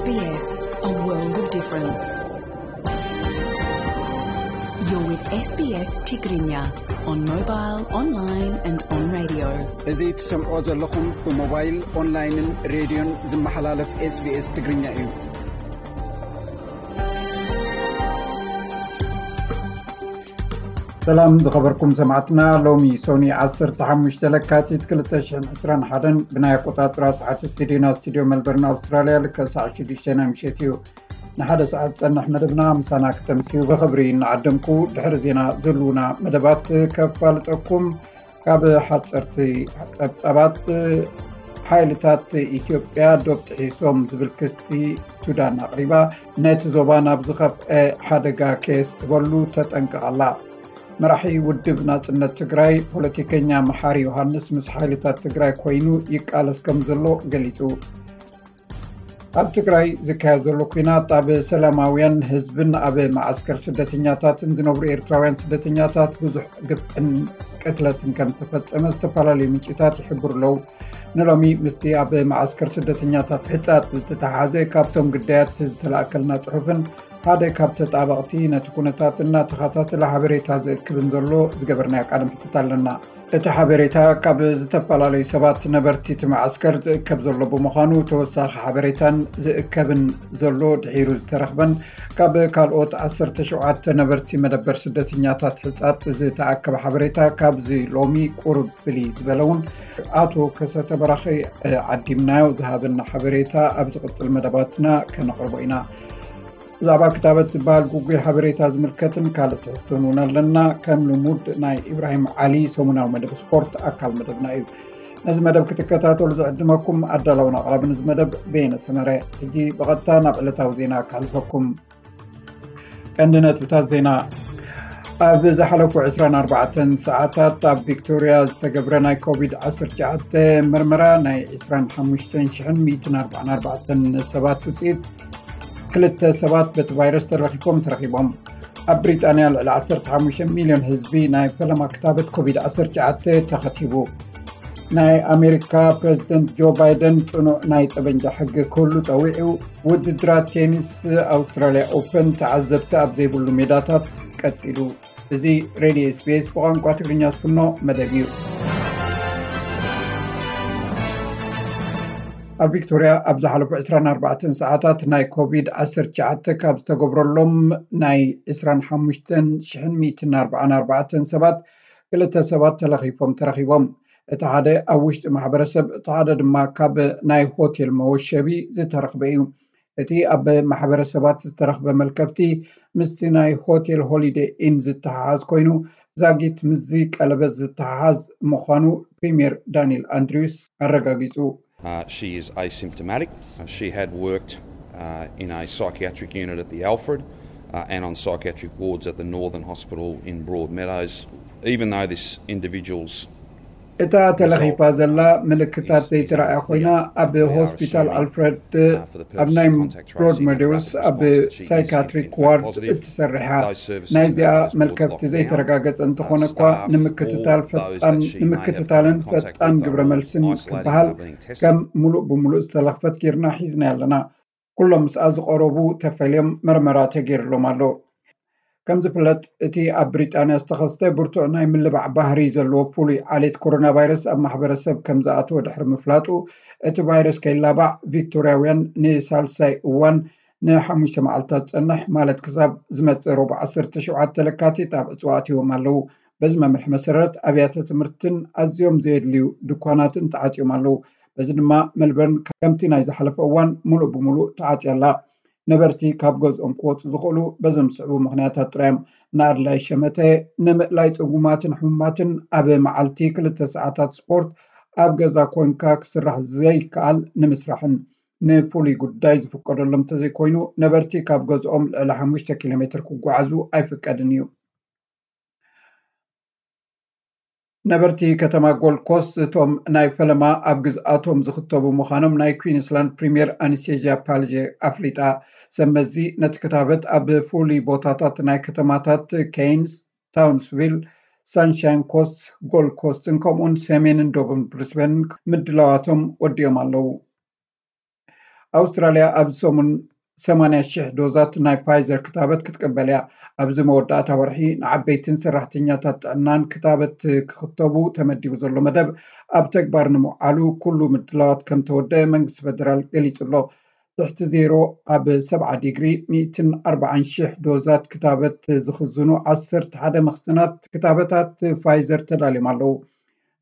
S B S, a world of difference. You're with S B S Tigrinya on mobile, online and on radio. እዚ ትሰምዖ ዘለኹም ብሞባይል፣ ኦንላይንን ሬድዮን ዝመሓላለፍ S B S ትግርኛ እዩ። ሰላም ዝኸበርኩም ሰማዕትና፣ ሎሚ ሶኒ ዓሰርተ ሓሙሽተ ለካቲት ክልተ ሽሕን ዕስራን ሓደን ብናይ ኣቆጻጽራ ሰዓት ስቱዲዮና፣ ስቱዲዮ መልበርን ኣውስትራልያ፣ ልክዕ ሰዓት ሽዱሽተ ናይ ምሸት እዩ። ንሓደ ሰዓት ዝጸንሕ መደብና ምሳና ክተምስዩ ብኽብሪ እናዓደምኩ፣ ድሕሪ ዜና ዘልዉና መደባት ከፋልጠኩም። ካብ ሓጸርቲ ጸብጻባት፣ ሓይልታት ኢትዮጵያ ዶብ ጥሒሶም ዝብል ክሲ ሱዳን ኣቕሪባ። ነቲ ዞባ ናብ ዝኸፍአ ሓደጋ ከየስዕበሉ ተጠንቅቕ ኣላ። መራሒ ውድብ ናጽነት ትግራይ ፖለቲከኛ መሓሪ ዮሃንስ ምስ ሓይልታት ትግራይ ኮይኑ ይቃለስ ከም ዘሎ ገሊጹ። ኣብ ትግራይ ዝካየድ ዘሎ ኲናት ኣብ ሰላማውያን ህዝብን ኣብ መዓስከር ስደተኛታትን ዝነብሩ ኤርትራውያን ስደተኛታት ብዙሕ ግፍዕን ቅትለትን ከም ዝተፈጸመ ዝተፈላለዩ ምንጭታት ይሕብሩ ኣለዉ። ንሎሚ ምስቲ ኣብ መዓስከር ስደተኛታት ሕጻጽ ዝተተሓሓዘ ካብቶም ግዳያት ዝተላእከልና ጽሑፍን ሓደ ካብ ተጣበቕቲ ነቲ ኩነታት እናተኸታተለ ሓበሬታ ዝእክብን ዘሎ ዝገበርናዮ ቃለ መሕትት ኣለና። እቲ ሓበሬታ ካብ ዝተፈላለዩ ሰባት ነበርቲ እቲ መዓስከር ዝእከብ ዘሎ ብምዃኑ፣ ተወሳኺ ሓበሬታን ዝእከብን ዘሎ ድሒሩ ዝተረኽበን ካብ ካልኦት ዓሰርተ ሸውዓተ ነበርቲ መደበር ስደተኛታት ሕጻጽ ዝተኣከበ ሓበሬታ ካብዚ ሎሚ ቁሩብ ፍልይ ዝበለ እውን ኣቶ ከሰተ በራኺ ዓዲምናዮ ዝሃበና ሓበሬታ ኣብ ዝቕጽል መደባትና ከነቕርቦ ኢና። ብዛዕባ ክታበት ዝበሃል ግጉይ ሓበሬታ ዝምልከትን ካልእ ትሕዝቶን እውን ኣለና። ከም ልሙድ ናይ ኢብራሂም ዓሊ ሰሙናዊ መደብ ስፖርት ኣካል መደብና እዩ። ነዚ መደብ ክትከታተሉ ዝዕድመኩም ኣዳላውን ኣቕራብን እዚ መደብ በየነ ሰመረ። ሕጂ ብቐጥታ ናብ ዕለታዊ ዜና ከሕልፈኩም። ቀንዲ ነጥብታት ዜና። ኣብ ዝሓለፉ ዕስራን ኣርባዕተን ሰዓታት ኣብ ቪክቶርያ ዝተገብረ ናይ ኮቪድ ዓሰርተ ትሽዓተ ምርመራ ናይ ዕስራን ሓሙሽተን ሽሕን ሚእትን ኣርባዓን ኣርባዕተን ሰባት ውፅኢት፣ ክልተ ሰባት በቲ ቫይረስ ተለኺፎም ተረኺቦም። ኣብ ብሪጣንያ ልዕሊ ዓሰርተ ሓሙሽተ ሚልዮን ህዝቢ ናይ ፈለማ ክታበት ኮቪድ ዓሰርተ ትሽዓተ ተኸቲቡ። ናይ ኣሜሪካ ፕሬዝደንት ጆ ባይደን ጽኑዕ ናይ ጠበንጃ ሕጊ ክህሉ ጸዊዑ። ውድድራት ቴኒስ ኣውስትራልያ ኦፐን ተዓዘብቲ ኣብ ዘይብሉ ሜዳታት ቀጺሉ። እዚ ሬድዮ ኤስቢኤስ ብቋንቋ ትግርኛ ዝፍኖ መደብ እዩ። ኣብ ቪክቶርያ ኣብ ዝሓለፉ ዕስራን ኣርባዕተን ሰዓታት ናይ ኮቪድ ዓሰርተ ትሽዓተ ካብ ዝተገብረሎም ናይ ዕስራን ሓሙሽተን ሽሕን ሚእትን ኣርባዓን ኣርባዕተን ሰባት ክልተ ሰባት ተለኺፎም ተረኺቦም። እቲ ሓደ ኣብ ውሽጢ ማሕበረሰብ፣ እቲ ሓደ ድማ ካብ ናይ ሆቴል መወሸቢ ዝተረኽበ እዩ። እቲ ኣብ ማሕበረሰባት ዝተረኽበ መልከፍቲ ምስቲ ናይ ሆቴል ሆሊደይ ኢን ዝተሓሓዝ ኮይኑ፣ ዛጊት ምስዚ ቀለበት ዝተሓሓዝ ምዃኑ ፕሪምየር ዳንኤል ኣንድሪውስ ኣረጋጊጹ። Uh, she is asymptomatic. Uh, she had worked uh, in a psychiatric unit at the Alfred uh, and on psychiatric wards at the Northern Hospital in Broadmeadows. Even though this individual's እታ ተለኺፋ ዘላ ምልክታት ዘይተረኣያ ኮይና፣ ኣብ ሆስፒታል ኣልፍረድ ኣብ ናይ ብሮድመዶውስ ኣብ ሳይካትሪክ ዋርድ እትሰርሕ እያ። ናይዚኣ መልከፍቲ ዘይተረጋገጸ እንተኾነ እኳ፣ ንምክትታል ፈጣን ንምክትታልን ፈጣን ግብረ መልስን ክበሃል ከም ሙሉእ ብሙሉእ ዝተለኽፈት ጌርና ሒዝናያ ኣለና። ኩሎም ምስኣ ዝቐረቡ ተፈልዮም መርመራ ተገይርሎም ኣሎ። ከም ዝፍለጥ፣ እቲ ኣብ ብሪጣንያ ዝተኸስተ ብርቱዕ ናይ ምልባዕ ባህሪ ዘለዎ ፍሉይ ዓሌት ኮሮና ቫይረስ ኣብ ማሕበረሰብ ከም ዝኣተወ ድሕሪ ምፍላጡ፣ እቲ ቫይረስ ከይላባዕ ቪክቶርያውያን ንሳልሳይ እዋን ንሓሙሽተ መዓልታት ዝጸንሕ፣ ማለት ክሳብ ዝመጽእ ረቡዕ ዓሰርተ ሸውዓተ ለካቲት ኣብ ዕጽዋ ኣትዮም ኣለዉ። በዚ መምርሒ መሰረት፣ ኣብያተ ትምህርትን ኣዝዮም ዘየድልዩ ድኳናትን ተዓጽዮም ኣለዉ። በዚ ድማ ሜልበርን ከምቲ ናይ ዝሓለፈ እዋን ምሉእ ብምሉእ ተዓጽያ ኣላ። ነበርቲ ካብ ገዝኦም ክወጹ ዝኽእሉ በዞም ዝስዕቡ ምኽንያታት ጥራይ እዮም። ንኣድላይ ሸመተ፣ ንምእላይ ጽጉማትን ሕሙማትን፣ ኣብ መዓልቲ ክልተ ሰዓታት ስፖርት፣ ኣብ ገዛ ኮንካ ክስራሕ ዘይከኣል ንምስራሕን። ንፍሉይ ጉዳይ ዝፍቀደሎም እንተዘይኮይኑ፣ ነበርቲ ካብ ገዝኦም ልዕሊ ሓሙሽተ ኪሎ ሜትር ክጓዓዙ ኣይፍቀድን እዩ። ነበርቲ ከተማ ጎልድ ኮስት፣ እቶም ናይ ፈለማ ኣብ ግዝኣቶም ዝኽተቡ ምዃኖም ናይ ኩዊንስላንድ ፕሪምየር ኣነስቴዥያ ፓልጀ ኣፍሊጣ። ሰብ መዚ ነቲ ክታበት ኣብ ፍሉይ ቦታታት ናይ ከተማታት ኬይንስ፣ ታውንስቪል፣ ሳንሻይን ኮስት፣ ጎልድ ኮስትን ከምኡውን ሰሜንን ደቡብን ብሪስበንን ምድላዋቶም ወዲኦም ኣለዉ። ኣውስትራልያ ኣብዚ ሰሙን ሰማንያ ሽሕ ዶዛት ናይ ፋይዘር ክታበት ክትቅበል እያ። ኣብዚ መወዳእታ ወርሒ ንዓበይትን ሰራሕተኛታት ጥዕናን ክታበት ክኽተቡ ተመዲቡ ዘሎ መደብ ኣብ ተግባር ንምውዓሉ ኩሉ ምድላዋት ከም ተወደአ መንግስቲ ፈደራል ገሊጹ ኣሎ። ትሕቲ ዜሮ ኣብ ሰብዓ ዲግሪ፣ ሚእትን ኣርባዓን ሽሕ ዶዛት ክታበት ዝኽዝኑ ዓሰርተ ሓደ መኽዘናት ክታበታት ፋይዘር ተዳልዮም ኣለዉ።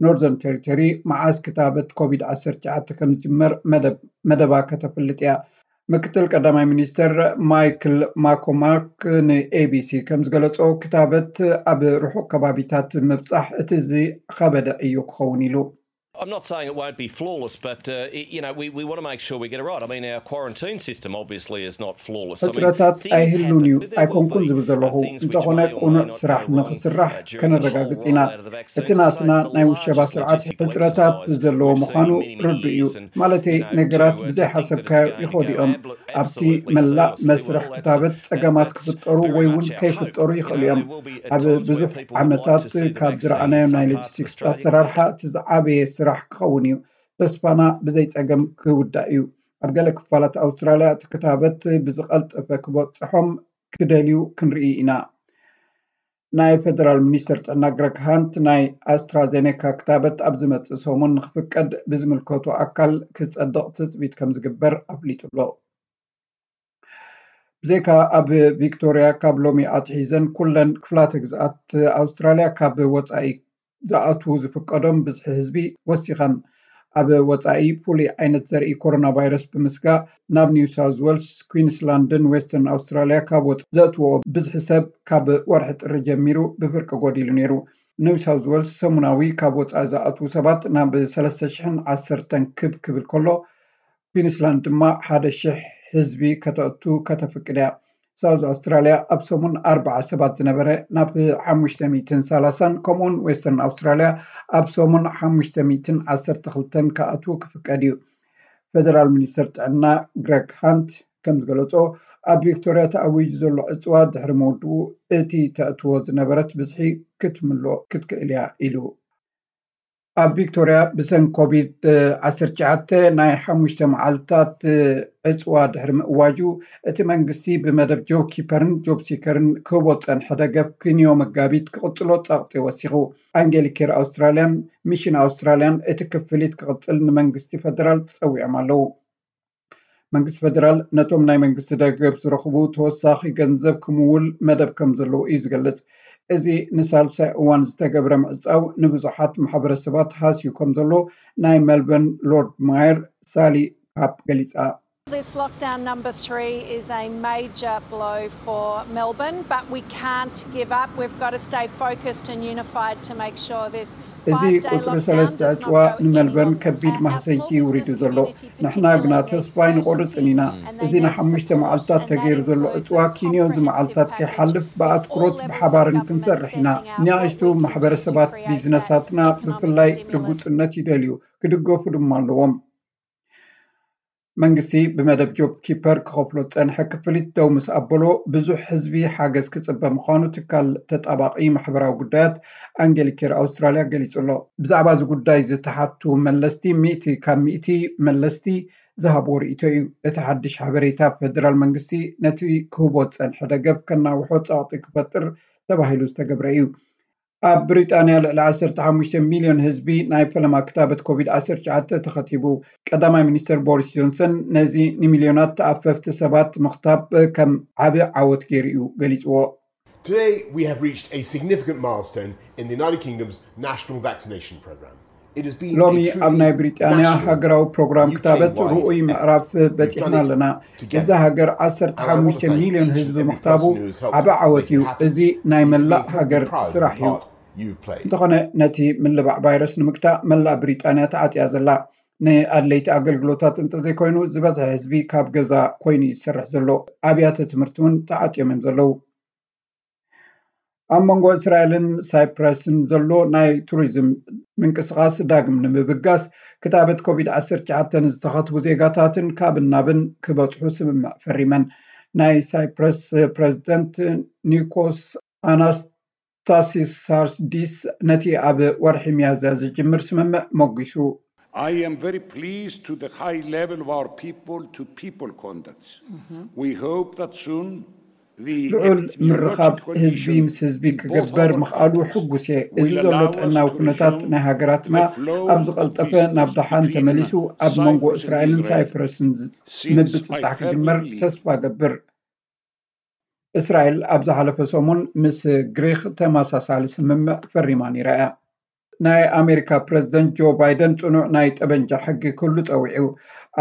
ኖርዘርን ቴሪቶሪ መዓስ ክታበት ኮቪድ ዓሰርተ ትሽዓተ ከም ዝጅመር መደብ መደባ ከተፍልጥ እያ። ምክትል ቀዳማይ ሚኒስትር ማይክል ማኮማክ ንኤቢሲ ከም ዝገለጾ፣ ክታበት ኣብ ርሑቕ ከባቢታት ምብጻሕ እቲ ዝኸበደ እዩ ክኸውን ኢሉ። I'm not saying it won't be flawless, but uh, y- you know we, we want to make sure we get it right. I mean, our quarantine system obviously is not flawless. I mean, ሕጽረታት things ኣይህሉን እዩ happen. There will ኣይኮንኩን be ዝብል ዘለኹ። Things which እንተኾነ may or may ቁኑዕ not ስራሕ go wrong ንኽስራሕ uh, during the whole ከነረጋግጽ ኢና። Rollout of the እቲ vaccines. It's ናትና the ናይ ውሸባ largest ስርዓት logistic ሕጽረታት exercise ዘለዎ we've ምዃኑ seen for many ርዱእ እዩ። Years. Malete you know, ነገራት to, uh, ብዘይ to think ሓሰብካዮ that it's ይኸዱ going to እዮም። Go absolutely ኣብቲ መላእ seamlessly መስርሕ well, that's ክታበት the- ጸገማት that's ክፍጠሩ ወይ እውን ከይፍጠሩ ይኽእሉ እዮም። ኣብ ብዙሕ ዓመታት ካብ ዝረኣናዮ ናይ ሎጂስቲክስ ኣሰራርሓ እቲ ዝዓበየ ስራሕ ክኸውን እዩ። ተስፋና ብዘይ ጸገም ክውዳእ እዩ። ኣብ ገለ ክፋላት ኣውስትራልያ እቲ ክታበት ብዝቐልጠፈ ክበጽሖም ክደልዩ ክንርኢ ኢና። ናይ ፈደራል ሚኒስተር ጥዕና ግረግ ሃንት፣ ናይ ኣስትራዜኔካ ክታበት ኣብ ዝመጽእ ሰሙን ንክፍቀድ ብዝምልከቱ ኣካል ክጸድቕ ትጽቢት ከም ዝግበር ኣፍሊጡ ኣሎ። ብዘይካ ኣብ ቪክቶርያ፣ ካብ ሎሚ ኣትሒዘን ኩለን ክፍላተ ግዝኣት ኣውስትራልያ ካብ ወጻኢ ዝኣትዉ ዝፍቀዶም ብዝሒ ህዝቢ ወሲኸን። ኣብ ወጻኢ ፍሉይ ዓይነት ዘርኢ ኮሮና ቫይረስ ብምስጋእ፣ ናብ ኒው ሳውዝ ዌልስ፣ ኩዊንስላንድን ዌስተርን ኣውስትራልያ ካብ ወጻኢ ዘእትዎ ብዝሒ ሰብ ካብ ወርሒ ጥሪ ጀሚሩ ብፍርቂ ጎዲሉ ነይሩ። ኒው ሳውዝ ዌልስ ሰሙናዊ ካብ ወጻኢ ዝኣትዉ ሰባት ናብ ሰለስተ ሽሕን ዓሰርተን ክብ ክብል ከሎ፣ ኩዊንስላንድ ድማ ሓደ ሽሕ ህዝቢ ከተእቱ ከተፍቅድ እያ። ሳውዝ ኣውስትራልያ ኣብ ሰሙን ኣርባዓ ሰባት ዝነበረ ናብ ሓሙሽተ ሚእትን ሰላሳን፣ ከምኡውን ዌስተርን ኣውስትራልያ ኣብ ሰሙን ሓሙሽተ ሚእትን ዓሰርተ ክልተን ክኣትዉ ክፍቀድ እዩ። ፈደራል ሚኒስተር ጥዕና ግረግ ሃንት ከም ዝገለጾ፣ ኣብ ቪክቶርያ ተኣዊጁ ዘሎ ዕጽዋ ድሕሪ ምውድኡ፣ እቲ ተእትዎ ዝነበረት ብዝሒ ክትምልኦ ክትክእል እያ ኢሉ። ኣብ ቪክቶርያ ብሰንኪ ኮቪድ ዓሰርተ ትሽዓተ ናይ ሓሙሽተ መዓልታት ዕጽዋ ድሕሪ ምእዋጁ፣ እቲ መንግስቲ ብመደብ ጆብ ኪፐርን ጆብ ሲከርን ክህቦ ዝጸንሐ ደገፍ ክንዮ መጋቢት ክቕጽሎ ጸቕጢ ወሲኹ። ኣንጌሊክ ኬር ኣውስትራልያን ሚሽን ኣውስትራልያን እቲ ክፍሊት ክቕጽል ንመንግስቲ ፈደራል ጸዊዖም ኣለዉ። መንግስቲ ፈደራል ነቶም ናይ መንግስቲ ደገፍ ዝረኽቡ ተወሳኺ ገንዘብ ክምውል መደብ ከም ዘለዎ እዩ ዝገልጽ። እዚ ንሳልሳይ እዋን ዝተገብረ ምዕጻው ንብዙሓት ማሕበረሰባት ሃስዩ ከም ዘሎ ናይ ሜልበርን ሎርድ ማየር ሳሊ ካፕ ገሊጻ። This lockdown number three is a major blow for Melbourne, but we can't give up. We've got to stay focused and unified to make sure this እዚ ቁጽሪ ሰለስተ ዕጽዋ ንመልበርን ከቢድ ማህሰይቲ ውሪዱ ዘሎ። ንሕና ግና ተስፋ ኣይንቆርጽን ኢና። እዚ ንሓሙሽተ መዓልታት ተገይሩ ዘሎ ዕጽዋ ኪንዮ እዚ መዓልታት ከይሓልፍ ብኣትኩሮት ብሓባርን ክንሰርሕ ኢና። ንኣሽቱ ማሕበረሰባት ቢዝነሳትና ብፍላይ ርጉጽነት ይደልዩ፣ ክድገፉ ድማ ኣለዎም። መንግስቲ ብመደብ ጆብ ኪፐር ክኸፍሎ ዝጸንሐ ክፍሊት ደው ምስ ኣበሎ፣ ብዙሕ ህዝቢ ሓገዝ ክጽበ ምዃኑ ትካል ተጣባቒ ማሕበራዊ ጉዳያት ኣንጌሊክ ኬር ኣውስትራልያ ገሊጹ ኣሎ። ብዛዕባ እዚ ጉዳይ ዝተሓቱ መለስቲ፣ ሚእቲ ካብ ሚእቲ መለስቲ ዝሃብዎ ርእይቶ እዩ። እቲ ሓድሽ ሓበሬታ፣ ፈደራል መንግስቲ ነቲ ክህቦ ዝጸንሐ ደገፍ ከናውሖ ጸቕጢ ክፈጥር ተባሂሉ ዝተገብረ እዩ። ኣብ ብሪጣንያ ልዕሊ ዓሰርተ ሓሙሽተ ሚልዮን ህዝቢ ናይ ፈለማ ክታበት ኮቪድ ዓሰርተ ትሽዓተ ተኸቲቡ። ቀዳማይ ሚኒስተር ቦሪስ ጆንሰን ነዚ ንሚልዮናት ተኣፈፍቲ ሰባት ምኽታብ ከም ዓቢ ዓወት ገይሩ እዩ ገሊጽዎ። Today, we have reached a significant milestone in the United Kingdom's national vaccination programme. It has been ሎሚ a truly ኣብ ናይ ብሪጣንያ national ሃገራዊ ፕሮግራም ክታበት U K-wide ርኡይ effort. ምዕራፍ We've done በጺሕና it ኣለና። together. እዚ ሃገር And I want ዓሰርተ ሓሙሽተ to thank ሚልዮን each ህዝቢ and every ምኽታቡ person who has helped ዓቢ make ዓወት it እዩ። happen. እዚ ናይ You can be መላእ incredibly ሃገር proud of ስራሕ the እዩ። part you've played. እንተኾነ፣ ነቲ ምልባዕ ቫይረስ ንምግታእ መላእ ብሪጣንያ ተዓጽያ ዘላ። ንኣድለይቲ ኣገልግሎታት እንተዘይኮይኑ፣ ዝበዝሐ ህዝቢ ካብ ገዛ ኮይኑ እዩ ዝሰርሕ ዘሎ። ኣብያተ ትምህርቲ እውን ተዓጽዮም እዮም ዘለዉ። ኣብ መንጎ እስራኤልን ሳይፕረስን ዘሎ ናይ ቱሪዝም ምንቅስቓስ ዳግም ንምብጋስ፣ ክታበት ኮቪድ ዓሰርተ ትሽዓተ ንዝተኸትቡ ዜጋታትን ካብን ናብን ክበጽሑ ስምምዕ ፈሪመን። ናይ ሳይፕረስ ፕረዚደንት ኒኮስ ኣናስታሲሳርዲስ ነቲ ኣብ ወርሒ ሚያዝያ ዝጅምር ስምምዕ ሞጒሱ። I am very pleased to the high level of our people to people contacts. We hope that soon the ልዑል ምርኻብ epidemiological ህዝቢ condition ምስ ህዝቢ in both ክገበር our ምኽኣሉ countries ሕጉስ እየ። እዚ will ዘሎ allow us ጥዕናዊ to ኩነታት resume ናይ ሃገራትና the flow ኣብ of ዝቐልጠፈ visitors ናብ ደሓን between ተመሊሱ ኣብ መንጎ Cyprus and እስራኤልን Israel. ሳይፕረስን ዝ- Since I ምብጽጻሕ ክጅመር firmly ተስፋ ገብር። እስራኤል ኣብ ዝሓለፈ ሰሙን ምስ ግሪክ ተመሳሳሊ ስምምዕ ፈሪማ ነይራ እያ። ናይ ኣሜሪካ ፕረዚደንት ጆ ባይደን ጽኑዕ ናይ ጠበንጃ ሕጊ ክህሉ ጸዊዑ።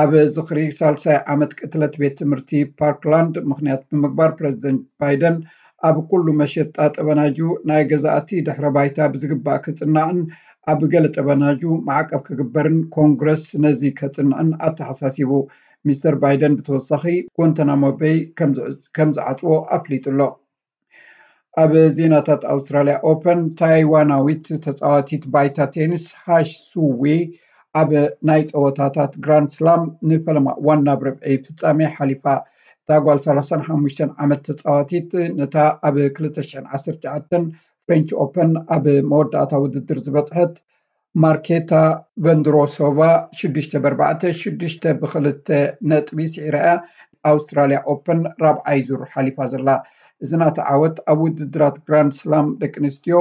ኣብ ዝኽሪ ሳልሳይ ዓመት ቅትለት ቤት ትምህርቲ ፓርክላንድ ምኽንያት ብምግባር ፕረዚደንት ባይደን ኣብ ኩሉ መሸጣ ጠበናጁ ናይ ገዛእቲ ድሕረ ባይታ ብዝግባእ ክጽናዕን ኣብ ገለ ጠበናጁ ማዕቀብ ክግበርን ኮንግረስ ነዚ ከጽንዕን ኣተሓሳሲቡ። ሚስተር ባይደን ብተወሳኺ ጓንታናሞ ቤይ ከም ዝዕ- ከም ዝዓጽዎ ኣፍሊጡ ኣሎ። ኣብ ዜናታት ኣውስትራልያ ኦፐን ታይዋናዊት ተፃዋቲት ባይታ ቴኒስ ሃሽ ሱዌ ኣብ ናይ ፀወታታት ግራንድ ስላም ንፈለማ እዋን ናብ ርብዒ ፍፃሜ ሓሊፋ። እታ ጓል ሰላሳን ሓሙሽተን ዓመት ተፃዋቲት ነታ ኣብ ክልተ ሽሕን ዓሰርተ ትሽዓተን ፍሬንች ኦፐን ኣብ መወዳእታ ውድድር ዝበፅሐት ማርኬታ ቨንድሮሶቫ ሽዱሽተ ብኣርባዕተ ሽዱሽተ ብክልተ ነጥቢ ስዒራ እያ ኣውስትራልያ ኦፐን ራብዓይ ዙር ሓሊፋ ዘላ። እዚ ናታ ዓወት ኣብ ውድድራት ግራንድ ስላም ደቂ ኣንስትዮ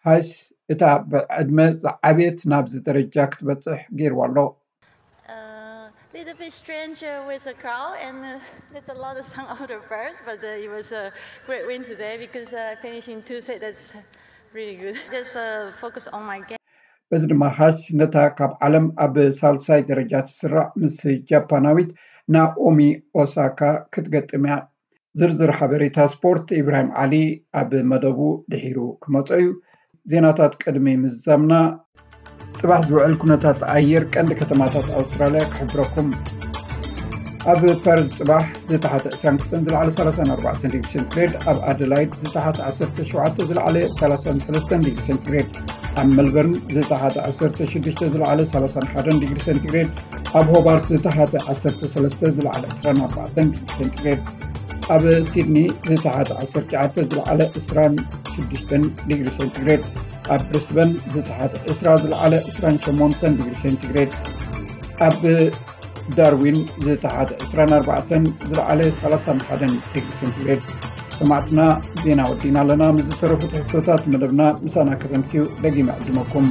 ሃይስ እታ ብዕድመ ዝዓበየት ናብዚ ደረጃ ክትበፅሕ ገይርዋ ኣሎ። A little bit strange uh, with the crowd and uh, there's a lot of sound of the birds, but uh, it was a great win today because uh, finishing two set, that's really good. Just uh, focus on my game. በዚ ድማ ሃስ ነታ ካብ ዓለም ኣብ ሳልሳይ ደረጃ ትስራዕ ምስ ጃፓናዊት ናኦሚ ኦሳካ ክትገጥም እያ። ዝርዝር ሓበሬታ ስፖርት ኢብራሂም ዓሊ ኣብ መደቡ ድሒሩ ክመጾ እዩ። ዜናታት ቅድሚ ምዝዛምና፣ ጽባሕ ዝውዕል ኩነታት ኣየር ቀንዲ ከተማታት ኣውስትራልያ ክሕብረኩም። ኣብ ፐርዝ ጽባሕ ዝተሓተ ዕስራን ክልተን ዝለዓለ ሰላሳን ኣርባዕተን ዲግሪ ሴንቲግሬድ፣ ኣብ ኣደላይድ ዝተሓተ ዓሰርተ ሸውዓተ ዝለዓለ ሰላሳን ሰለስተን ዲግሪ ሴንቲግሬድ፣ ኣብ መልበርን ዝተሓተ ዓሰርተ ሽዱሽተ ዝለዓለ ሰላሳን ሓደን ዲግሪ ሴንቲግሬድ፣ ኣብ ሆባርት ዝተሓተ ዓሰርተ ሰለስተ ዝለዓለ ዕስራን ኣርባዕተን ዲግሪ ሴንቲግሬድ፣ ኣብ ሲድኒ ዝተሓተ ዓሰርተ ትሽዓተ ዝለዓለ ዕስራን ሽዱሽተን ዲግሪ ሴንቲግሬድ፣ ኣብ ብሪስበን ዝተሓተ ዕስራ ዝለዓለ ዕስራን ሸሞንተን ዲግሪ ሴንቲግሬድ፣ ኣብ ዳርዊን ዝተሓተ ዕስራን ኣርባዕተን ዝለዓለ ሰላሳን ሓደን ዲግሪ ሴንቲግሬድ። ሰማዕትና፣ ዜና ወዲእና ኣለና። ምስ ዝተረፉ ትሕዝቶታት መደብና ምሳና ከተምስዩ ደጊመ ዕድመኩም።